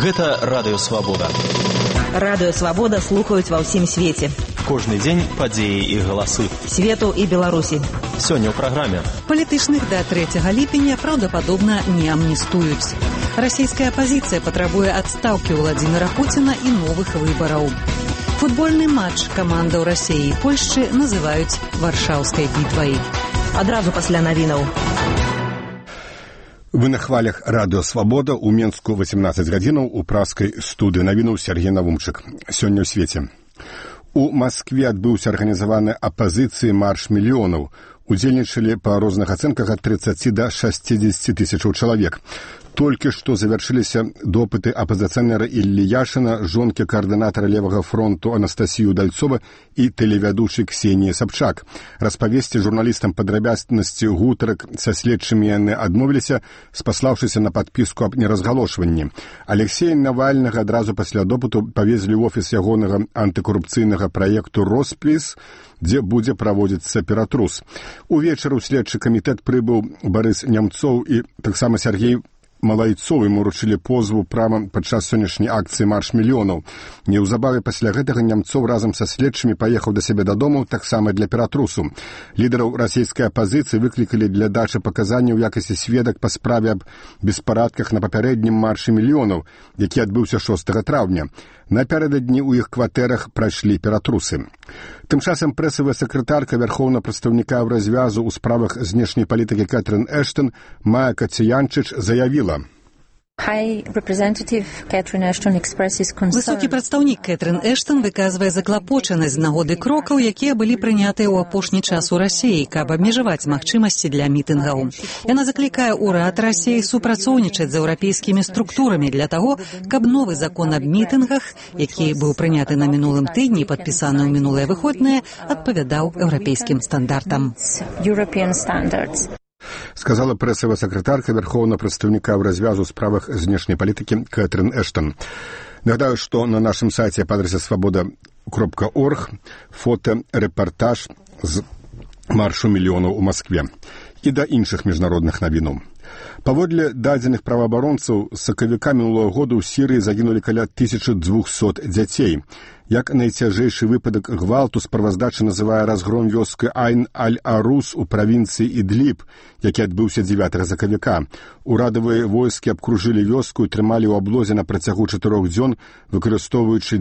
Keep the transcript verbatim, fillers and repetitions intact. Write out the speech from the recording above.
Гэта Радыё Свабода. Радыё Свабода слухаюць ва ўсім свеце. Кожны дзень падзеі і галасы. Свету і Беларусі. Сёння ў праграме. Палітычных да трэцяга ліпеня праўдападобна не амністуюць. Расійская апазіцыя патрабуе адстаўкі Владзіміра Пуціна і новых выбараў. Футбольны матч камандаў Расіі і Польшчы называюць Варшаўскай бітвай. Адразу пасля навінаў. Вы на хвалях Радыё Свабода у Менску восемнадцать гадзінаў у праскай студыі навінуў Сергей Навумчык. Сёння ў свеце. У Маскве адбыўся арганізаваны апазіцыі марш мільёнаў. Удзельнічалі па розных ацэнках ад тридцати да шестидесяти тысячаў чалавек. Толькі што завяршыліся допыты апазіцыянера Іллі Яшына, жонкі каардынатара Левага фронту Анастасіі Удальцова і тэлевядучай Ксеніі Сабчак. Распавесці журналістам падрабязнасці гутарак са следчымі яны адмовіліся, спаслаўшыся на падпіску аб неразгалошванні. Алексея Навальнага адразу пасля допыту павезлі ў офіс ягонага антыкарупцыйнага праекту «Роспліс», дзе будзе праводзіцца ператрус. Увечары ў следчы камітэт прыбыў Барыс Нямцоў і таксама Сергей Малайцоў, ему ручылі позву прама падчас сённяшняй акцыі «Марш мільёнаў». Неўзабаве пасля гэтага Нямцоў разам са следчымі паехаў да сябе дадому таксама для ператрусу. Лідараў расійскай апазіцыі выклікалі для дачы паказанняў у якасці сведак па справе аб беспарадках на папярэднім маршы мільёнаў, які адбыўся шостага траўня. Напярэдадні ў іх кватэрах прайшлі ператрусы. Тым часам прэсавая сакратарка вярхоўнага прадстаўніка ў развязу ў справах знешняй палітыкі Кэтрын Эштон Майя Кацянчыч заявіла: Высокі прадстаўнік Кэтрын Эштон выказвае заклапочанасць з нагоды крокаў, якія былі прынятыя ў апошні час у Расіі, каб абмежаваць магчымасці для мітынгаў. Яна заклікае ўрад Расіі супрацоўнічаць з еўрапейскімі структурамі для таго, каб новы закон аб мітынгах, які быў прыняты на мінулым тыдні і падпісаны ў мінулыя выходныя, адпавядаў еўрапейскім стандартам. Сказала прэсавая сакратарка вярхоўнага прадстаўніка ў развязу ў справах знешняй палітыкі Кэтрын Эштон. Нагадаю, што на нашым сайце па адрасе свабода кропка орг фота рэпартаж з маршу мільёнаў у Маскве і да іншых міжнародных навінаў. Паводле дадзеных праваабаронцаў, з сакавіка мінулага года ў Сірыі загінулі каля тысячы двухсот дзяцей. Як найцяжэйшы выпадак гвалту справаздача называе разгром вёскі Айн-аль-Арус у правінцыі Ідліб, які адбыўся дзевятага сакавіка. Урадавыя войскі абкружылі вёску і трымалі ў аблозе на працягу чатырох дзён, выкарыстоўваючы